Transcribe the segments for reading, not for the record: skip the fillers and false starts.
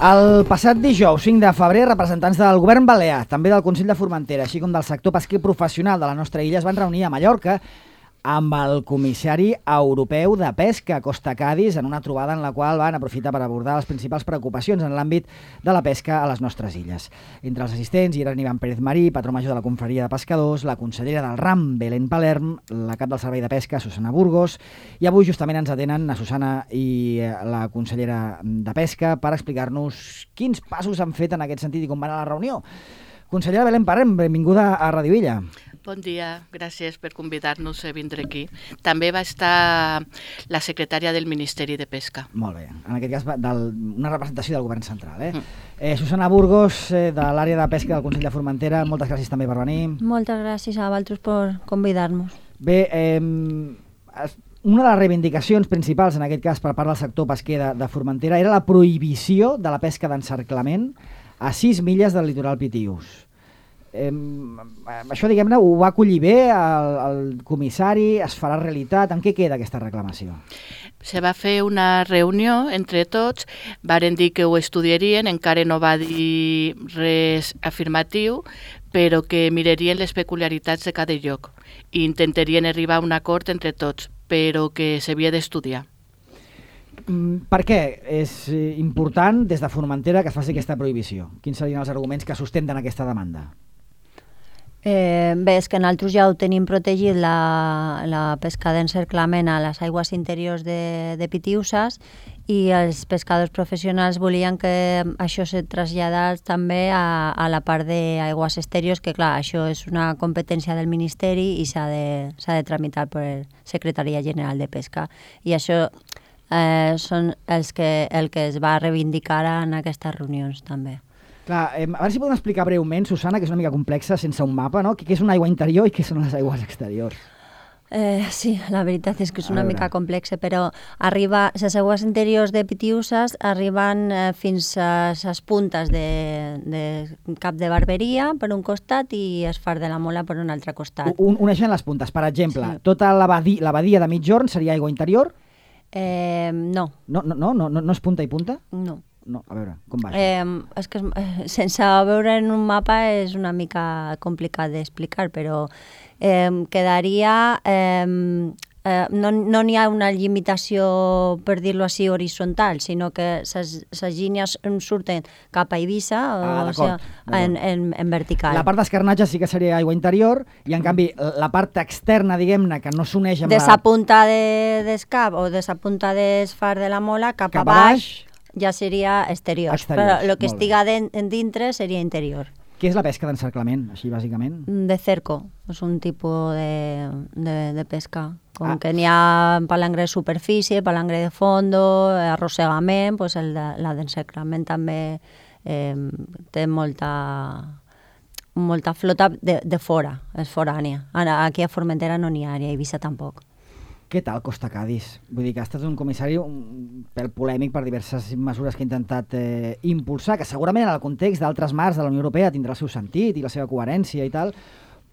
El passat dijous, 5 de febrer, representants del govern balear, també del Consell de Formentera, així com del sector pesquer professional de la nostra illa, es van reunir a Mallorca amb el comissari europeu de pesca, Costa Cadis, en una trobada en la qual van aprofitar per abordar les principals preocupacions en l'àmbit de la pesca a les nostres illes. Entre els assistents hi eren Ivan Pérez Marí, patró major de la Confraria de Pescadors, la consellera del RAM, Belén Palerm, la cap del Servei de Pesca, Susana Burgos, i avui justament ens atenen a Susana i la consellera de Pesca per explicar-nos quins passos han fet en aquest sentit i com va anar la reunió. Consellera Belén Palerm, benvinguda a Radio Illa. Bon dia, gràcies per convidar-nos a vindre aquí. També va estar la secretària del Ministeri de Pesca. Molt bé, en aquest cas una representació del govern central. Susana Burgos, de l'àrea de pesca del Consell de Formentera, moltes gràcies també per venir. Moltes gràcies a vosaltres per convidar-nos. Bé, una de les reivindicacions principals, en aquest cas per part del sector pesquer de Formentera, era la prohibició de la pesca d'encerclament a 6 milles del litoral Pitius. Això, diguem-ne, ho va acollir bé el comissari, es farà realitat. En què queda aquesta reclamació? Se va fer una reunió entre tots, varen dir que ho estudiarien, encara no va dir res afirmatiu, però que mirarien les peculiaritats de cada lloc i intentarien arribar a un acord entre tots, però que s'havia d'estudiar. Per què és important des de Formentera que es faci aquesta prohibició? Quins serien els arguments que sustenten aquesta demanda? Bé, és que nosaltres ja ho tenim protegit la pesca d'encerclament a les aigües interiors de Pitiusas i els pescadors professionals volien que això se traslladés també a la part d'aigües exteriors, que clar, això és una competència del Ministeri i s'ha de tramitar per la Secretaria General de Pesca. I això són el que es va reivindicar en aquestes reunions també. Clar, a veure si podem explicar breument, Susana, que és una mica complexa, sense un mapa, no? Què és una aigua interior i què són les aigües exteriors? Sí, la veritat és que és una mica complexa, però les aigües interiors de Pitiusas arriben fins a les puntes de Cap de Barberia per un costat i es Far de la Mola per un altre costat. Uneixen les puntes. Per exemple, tota la badia de Migjorn seria aigua interior? No. No és punta i punta? No, a veure, com va això? És que sense veure en un mapa és una mica complicat d'explicar, però quedaria... no n'hi ha una limitació, per dir-ho així, horitzontal, sinó que les línies surten cap a Eivissa, o sigui, en vertical. La part d'escarnatge sí que seria aigua interior, i en canvi la part externa, diguem-ne, que no s'uneix amb de la punta d'Escap o de la punta d'Esfar de la Mola cap a baix, ja seria exterior, però el que estiga dintre seria interior. Què és la pesca d'encerclament, així bàsicament? De cerco, és un tipus de pesca. Com que n'hi ha palangre de superfície, palangre de fondo, arrossegament, doncs la d'encerclament també té molta flota de fora, és forània. Aquí a Formentera no n'hi ha, ni a Eivissa tampoc. Què tal Costa Cadis? Vull dir que ha estat un comissari pèl polèmic per diverses mesures que ha intentat impulsar, que segurament en el context d'altres mars de la Unió Europea tindrà el seu sentit i la seva coherència i tal,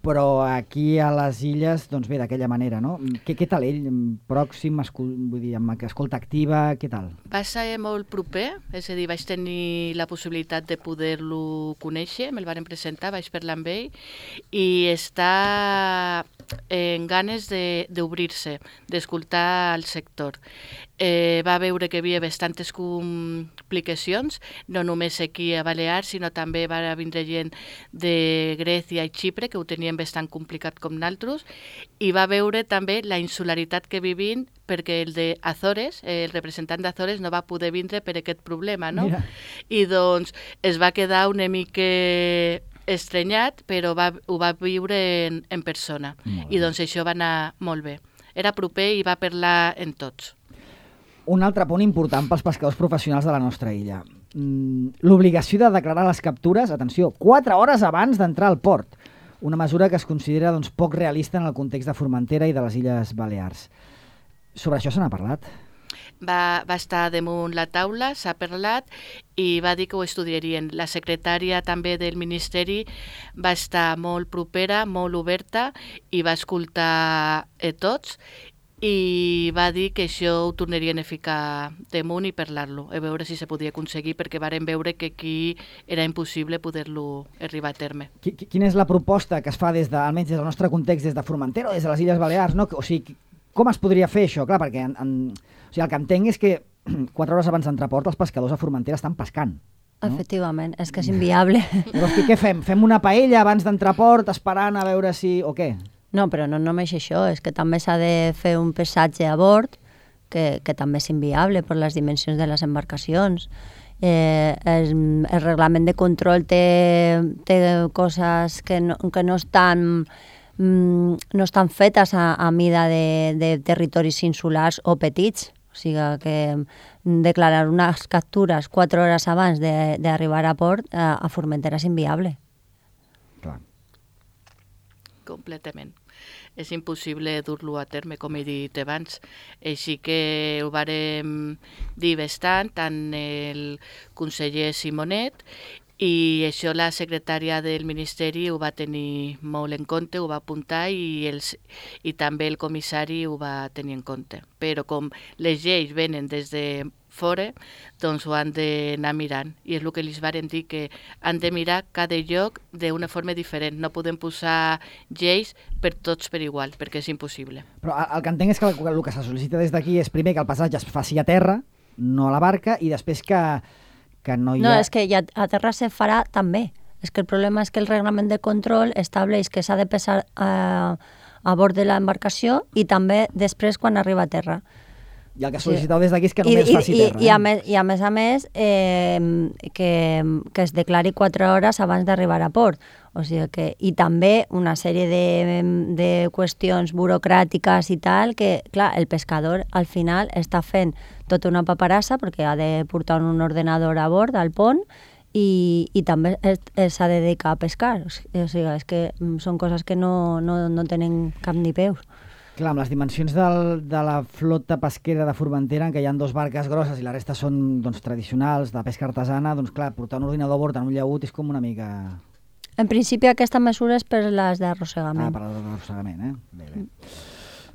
però aquí a les illes, doncs bé, d'aquella manera, no? Què tal ell? Pròxim, vull dir, amb escolta activa, què tal? Va ser molt proper, és a dir, vaig tenir la possibilitat de poder-lo conèixer, me'l varen presentar, vaig parlar amb ell, i està en ganes d'obrir-se, d'escoltar el sector. Va veure que hi havia bastantes complicacions, no només aquí a Balears, sinó també va vindre gent de Grècia i Xipre, que ho tenien bastant complicat com naltros, i va veure també la insularitat que vivim, perquè el de Azores, el representant d'Azores, no va poder vindre per aquest problema, no? Mira. I doncs es va quedar una mica estrenyat, però ho va viure en persona. I doncs això va anar molt bé. Era proper i va parlar en tots. Un altre punt important pels pescadors professionals de la nostra illa. L'obligació de declarar les captures, atenció, 4 hores abans d'entrar al port. Una mesura que es considera poc realista en el context de Formentera i de les Illes Balears. Sobre això se n'ha parlat? Va estar damunt la taula, s'ha parlat i va dir que ho estudiarien. La secretària també del Ministeri va estar molt propera, molt oberta i va escoltar tots i va dir que això ho tornarien a ficar damunt i parlar-lo, a veure si se podia aconseguir, perquè varen veure que aquí era impossible poder-lo arribar a terme. Quina és la proposta que es fa almenys des del nostre context, des de Formentera o des de les Illes Balears, no? O sigui, com es podria fer això? Clar, perquè o sigui, el que entenc és que 4 hores abans d'entreport els pescadors a Formentera estan pescant. No? Efectivament, és que és inviable. Llavors, què fem? Fem una paella abans d'entreport esperant a veure si... o què? No, però no només això, és que també s'ha de fer un pesatge a bord, que també és inviable per les dimensions de les embarcacions. El reglament de control té coses que no estan fetes a mida de territoris insulars o petits. O sigui que declarar unes captures 4 hores abans d'arribar a port a Formentera és inviable. Clar. Completament. És impossible dur-lo a terme, com he dit abans. Així que ho vàrem dir bastant, tant el conseller Simonet, i això la secretària del Ministeri ho va tenir molt en compte, ho va apuntar, i també el comissari ho va tenir en compte. Però com les lleis venen des de fora, doncs ho han d'anar mirant. I és el que els varen dir, que han de mirar cada lloc d'una forma diferent. No podem posar lleis per tots per igual, perquè és impossible. Però el que entenc és que el que se sol·licita des d'aquí és primer que el passatge es faci a terra, no a la barca, i després que no hi ha... No, és que a terra se farà també. És que el problema és que el reglament de control estableix que s'ha de pesar a bord de l'embarcació i també després quan arriba a terra. I el que sol·liciteu des d'aquí és que només es faci terra. I a més, que es declari 4 hores abans d'arribar a port. O sigui que, i també una sèrie de qüestions burocràtiques i tal, que, clar, el pescador al final està fent tota una paperassa perquè ha de portar un ordenador a bord al pont i també s'ha de dedicar a pescar. O sigui, és que són coses que no tenen cap ni peus. Clar, amb les dimensions de la flota pesquera de Formentera, en què hi ha 2 barques grosses i la resta són tradicionals, de pesca artesana, doncs clar, portar un ordinador a bord en un llaüt és com una mica... En principi aquesta mesura és per les d'arrossegament. Per les d'arrossegament,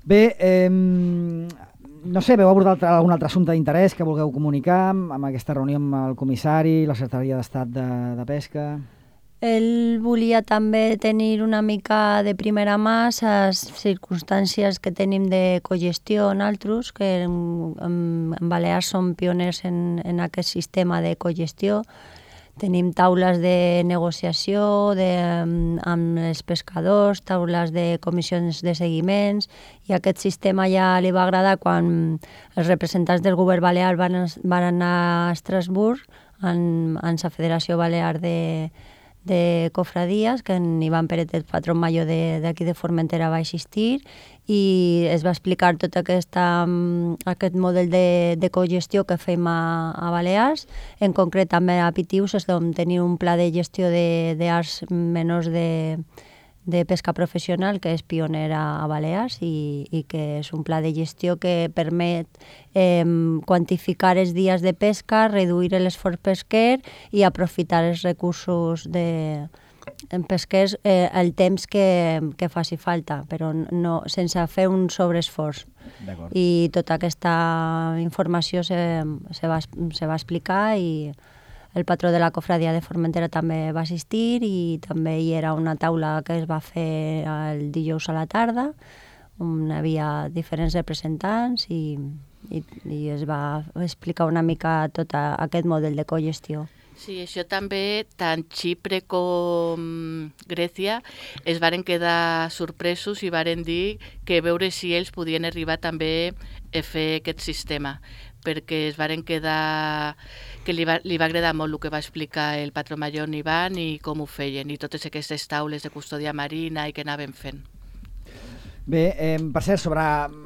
Bé, no sé, veu abordar algun altre assumpte d'interès que vulgueu comunicar amb aquesta reunió amb el comissari, la Secretaria d'Estat de Pesca... Ell volia també tenir una mica de primera mà les circumstàncies que tenim de cogestió nosaltres, que en Balears som pioners en aquest sistema de cogestió. Tenim taules de negociació amb els pescadors, taules de comissions de seguiments, i aquest sistema ja li va agradar quan els representants del govern balear van anar a Estrasburg, en la Federació Balear de cofradies, que en Ivan Pérez, el patró major d'aquí de Formentera, va assistir i es va explicar tot aquest model de cogestió que fem a Balears, en concret també a Pitius, és on tenim un pla de gestió d'arts menors de pesca professional que és pioner a Balears i que és un pla de gestió que permet quantificar els dies de pesca, reduir l'esforç pesquer i aprofitar els recursos pesquers el temps que faci falta, però no, sense fer un sobreesforç. I tota aquesta informació se va explicar i el patró de la cofradia de Formentera també va assistir i també hi era una taula que es va fer el dijous a la tarda, on hi havia diferents representants i es va explicar una mica tot aquest model de cogestió. Sí, això també, tant Xipre com Grècia es varen quedar sorpresos i varen dir que veure si ells podien arribar també a fer aquest sistema, perquè es varen quedar que li va agradar molt el que va explicar el patró major Ivan i com ho feien, i totes aquestes taules de custòdia marina i que anaven fent. Bé, per cert, sobre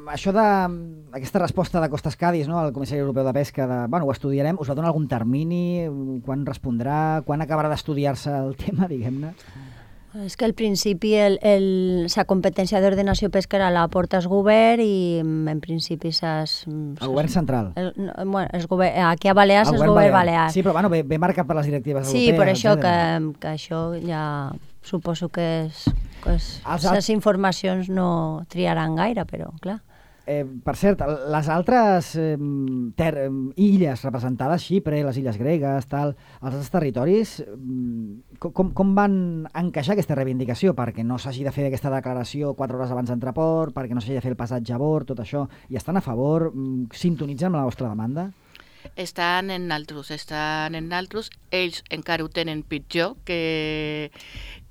això d'aquesta resposta de Costas Cádiz, no, al Comissari Europeu de Pesca, ho estudiarem, us va donar algun termini, quan respondrà, quan acabarà d'estudiar-se el tema, diguem-ne? És que al principi la competència d'ordenació pesquera la porta el govern i en principi el govern central. Aquí a Balears és el govern balear. Sí, però ve marcat per les directives europees. Sí, per això que això ja suposo que les informacions no triaran gaire, però clar. Per cert, les altres illes representades, Xipre, les illes gregues, els altres territoris, com van encaixar aquesta reivindicació? Perquè no s'hagi de fer aquesta declaració 4 hores abans d'entrar a port, perquè no s'hagi de fer el passatge a bord, tot això. I estan a favor? Sintonitzen amb la vostra demanda? Estan en altres. Ells encara ho tenen pitjor que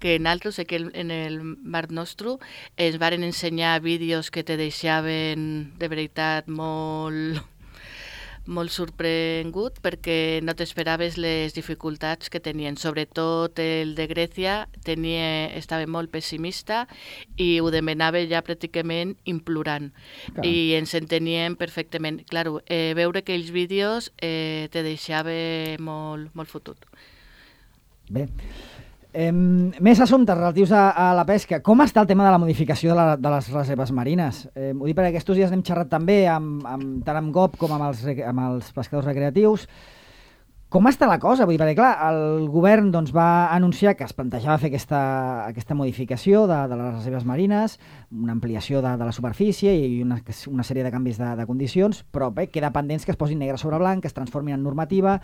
en altres. Sé que en el Mar Nostrum ens varen ensenyar vídeos que te deixaven de veritat molt sorprengut, perquè no t'esperaves les dificultats que tenien. Sobretot el de Grècia estava molt pessimista i ho demanava ja pràcticament implorant. Clar. I ens enteníem perfectament. Claro, veure aquells vídeos te deixava molt fotut. Bé. Més assumptes relatius a la pesca. Com està el tema de la modificació de les reserves marines? Ho dic perquè aquests dies n'hem xerrat també tant amb GOP com amb els pescadors recreatius. Com està la cosa? Vull dir, perquè clar, el govern va anunciar que es plantejava fer aquesta modificació de les reserves marines, una ampliació de la superfície i una sèrie de canvis de condicions, però bé, queda pendents que es posin negre sobre blanc, que es transformin en normativa.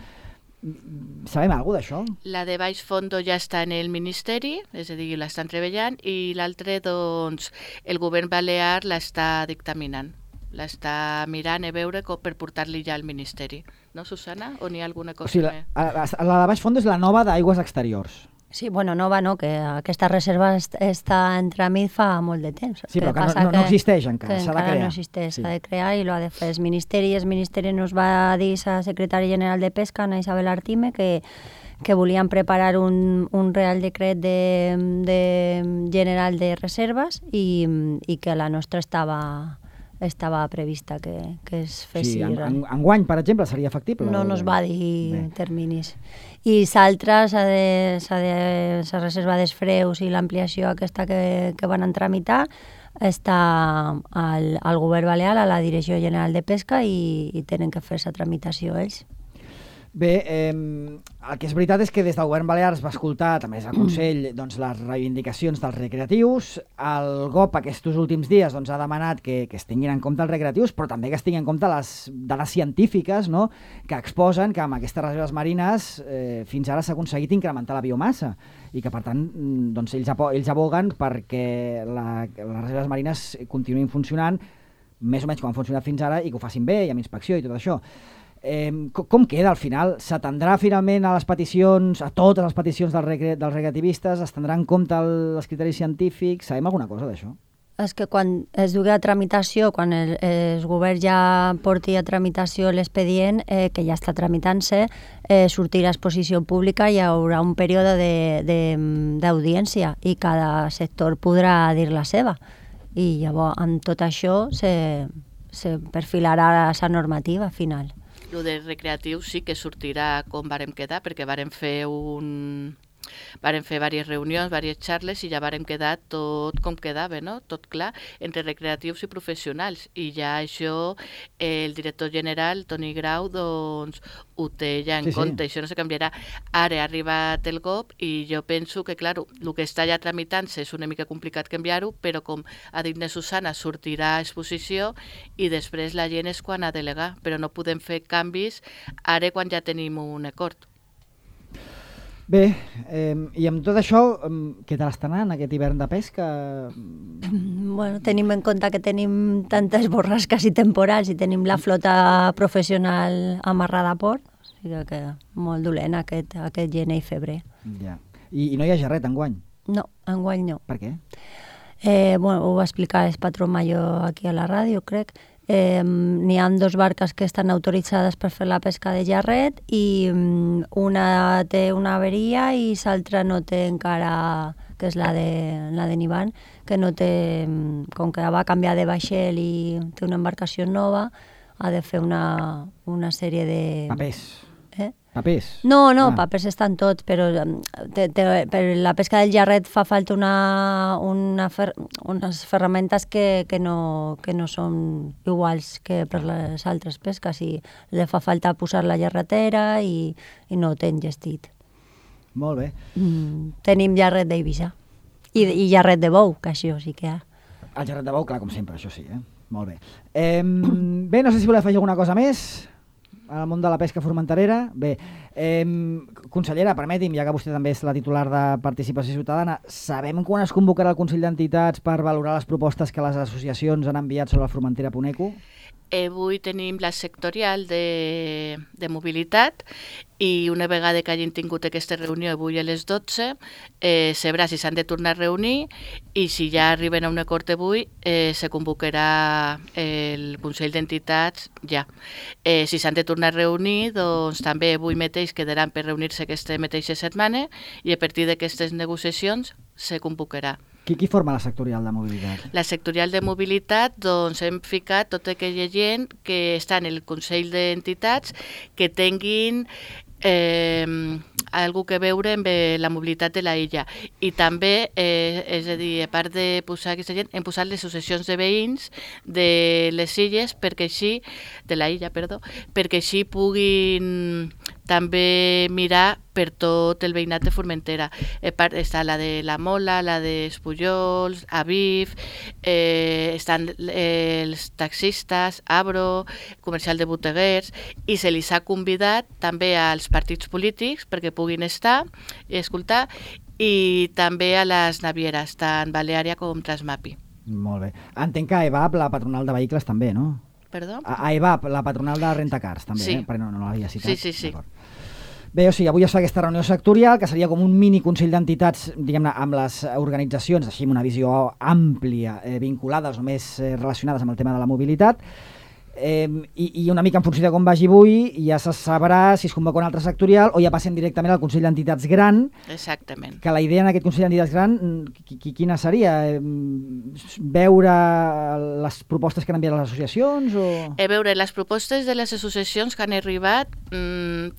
Sabem alguna cosa d'això? La de baix fondo ja està en el Ministeri, és a dir, l'estan treballant, i l'altre, doncs, el govern balear l'està dictaminant. L'està mirant a veure per portar-li ja al Ministeri. No, Susana? O n'hi ha alguna cosa més? La de baix fondo és la nova d'aigües exteriors. Sí, bueno, nova no, que aquesta reserva està en tràmit fa molt de temps. Sí, però que no existeix encara, s'ha de crear. No existeix, s'ha de crear i l'ha de fer el Ministeri. El Ministeri nos va dir a la secretària general de Pesca, Ana Isabel Artime, que volien preparar un Real Decret general de reserves i que la nostra estava prevista que es fes. Sí, enguany, per exemple, seria factible? No es va dir terminis. I l'altra, la reserva dels freus i l'ampliació aquesta que van tramitar, està al govern balear, a la Direcció General de Pesca, i tenen que fer la tramitació ells. Bé, el que és veritat és que des del govern balear es va escoltar, també des del Consell, les reivindicacions dels recreatius. El GOP aquests últims dies ha demanat que es tinguin en compte els recreatius, però també que es tinguin en compte les dades científiques, no?, que exposen que amb aquestes reserves marines fins ara s'ha aconseguit incrementar la biomassa i que, per tant, ells aboguen perquè les reserves marines continuïn funcionant més o menys com han funcionat fins ara i que ho facin bé i amb inspecció i tot això. Com queda al final? S'atendrà finalment a totes les peticions dels recreativistes? Es tindrà en compte els criteris científics? Sabem alguna cosa d'això? És que quan es dugui a tramitació, quan el govern ja porti a tramitació l'expedient, que ja està tramitant-se, sortirà a exposició pública i hi haurà un període d'audiència i cada sector podrà dir la seva. I llavors, amb tot això, se perfilarà la normativa final. El de recreatiu sí que sortirà com vàrem quedar, perquè vàrem fer diverses reunions, diverses xarles i ja vàrem quedar tot com quedava, no? Tot clar, entre recreatius i professionals. I ja això el director general, Toni Grau, doncs ho té ja en compte. Això no se canviarà. Ara ha arribat el GOP i jo penso que, clar, el que està ja tramitant-se és una mica complicat canviar-ho, però com ha dit na Susana, sortirà a exposició i després la gent és quan ha de delegar, però no podem fer canvis ara quan ja tenim un acord. Bé, i amb tot això, què tal està anant aquest hivern de pesca? Bueno, tenim en compte que tenim tantes borrasques i temporals i tenim la flota professional amarrada a port, o sigui que molt dolent aquest gener i febrer. Ja. I no hi ha gerret enguany? No, enguany no. Per què? Bueno, ho va explicar el patró major aquí a la ràdio, crec. N'hi ha 2 barques que estan autoritzades per fer la pesca de gerret i una té una averia i l'altra no té encara, que és la de Nivan, que no té, com que va canviar de vaixell i té una embarcació nova, ha de fer una sèrie de... Papers. Papers? No, papers estan tots, però per la pesca del gerret fa falta unes ferramentes que no són iguals que per les altres pesques i li fa falta posar la gerretera i no ho té engestit. Molt bé. Tenim gerret d'Eivissa i gerret de bou, que això sí que hi ha. El gerret de bou, clar, com sempre, això sí, Molt bé. Bé, no sé si voleu afegir alguna cosa més al món de la pesca formenterera. Bé, consellera, permeti'm, ja que vostè també és la titular de Participació Ciutadana, sabem quan es convocarà el Consell d'Entitats per valorar les propostes que les associacions han enviat sobre la Formentera Puneco? Avui tenim la sectorial de mobilitat i una vegada que hagin tingut aquesta reunió avui a les 12 se veurà si s'han de tornar a reunir i si ja arriben a un acord avui se convocarà el Consell d'Entitats ja. Si s'han de tornar a reunir, doncs també avui mateix quedaran per reunir-se aquesta mateixa setmana i a partir d'aquestes negociacions se convocarà. Qui forma la sectorial de mobilitat? La sectorial de mobilitat, doncs hem ficat tota aquella gent que està en el Consell d'Entitats que tinguin algú que veure amb la mobilitat de la illa. I també, és a dir, a part de posar aquesta gent, hem posat les associacions de veïns de les illes perquè així, de la illa, perdó, perquè així puguin també mirar per tot el veïnat de Formentera. Està la de la Mola, la de Espullols, Aviv, estan els taxistes, Abro, comercial de boteguers, i se li ha convidat també als partits polítics perquè puguin estar i escoltar, i també a les navieres, tant Baleària com Transmapi. Molt bé. Entenc que EVAP, la patronal de vehicles, també, no? Perdó? A EVAP, la patronal de rentacars, també, sí. Perquè no l'havia citat. Sí. Bé, o sigui, avui es fa aquesta reunió sectorial, que seria com un mini consell d'entitats, diguem-ne, amb les organitzacions, així amb una visió àmplia, vinculades o més relacionades amb el tema de la mobilitat, i una mica en funció de com vagi avui ja se sabrà si es convoca un altre sectorial o ja passem directament al Consell d'Entitats Gran. Exactament. Que la idea en aquest Consell d'Entitats Gran, quina seria? Veure les propostes que han enviat les associacions? A veure, les propostes de les associacions que han arribat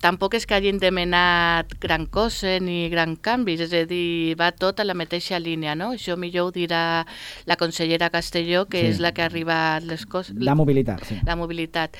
tampoc és que hagin demanat gran cosa ni gran canvis, és a dir, va tot a la mateixa línia, no? Això millor ho dirà la consellera Castelló, que és la que ha arribat les coses. La mobilitat, sí. La mobilitat.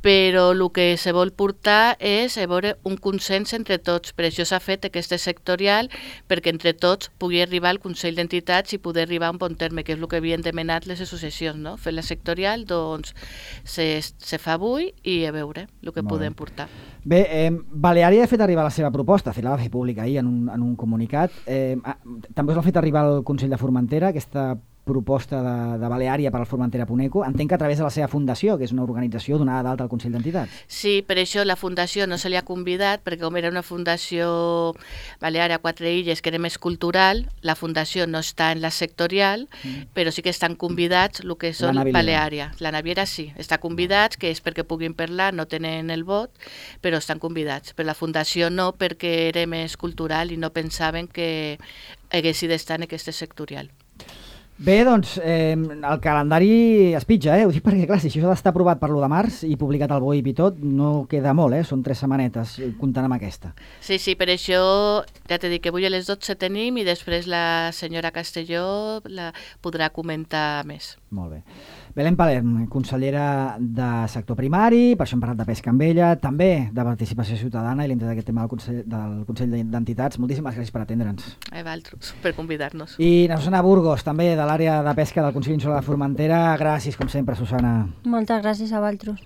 Però el que se vol portar és a veure un consens entre tots. Per això s'ha fet aquesta sectorial, perquè entre tots pugui arribar al Consell d'Entitats i poder arribar a un bon terme, que és el que havien demanat les associacions, no? Fer la sectorial, doncs se fa avui i a veure el que podem portar. Bé, Baleària ha fet arribar la seva proposta, la va fer pública ahir en un comunicat. També us l'ha fet arribar al Consell de Formentera, aquesta proposta de Baleària per al Formentera Puneco. Entenc que a través de la seva fundació, que és una organització donada d'alta al Consell d'Entitats. Sí, per això la fundació no se li ha convidat, perquè com era una fundació Baleària, 4 illes, que era més cultural, la fundació no està en la sectorial, però sí que estan convidats el que són Baleària. La naviera sí, està convidats, que és perquè puguin parlar, no tenen el vot, però estan convidats. Però la fundació no, perquè era més cultural i no pensaven que haguessin d'estar en aquesta sectorial. Bé, doncs, el calendari es pitja, ho dic perquè, clar, si això ha d'estar aprovat per l'1 de març i publicat al BOIP i tot, no queda molt, són 3 setmanetes, comptant amb aquesta. Sí, per això, ja t'he dit que avui a les 12 tenim i després la senyora Castelló la podrà comentar més. Molt bé. Belén Palerm, consellera de sector primari, per això hem parlat de pesca amb ella, també de participació ciutadana i l'interès d'aquest tema del Consell d'Entitats. Moltíssimes gràcies per atendre'ns. A vosaltres, per convidar-nos. I na Susana Burgos, també de l'àrea de pesca del Consell Insular de Formentera. Gràcies, com sempre, Susana. Moltes gràcies a vosaltres.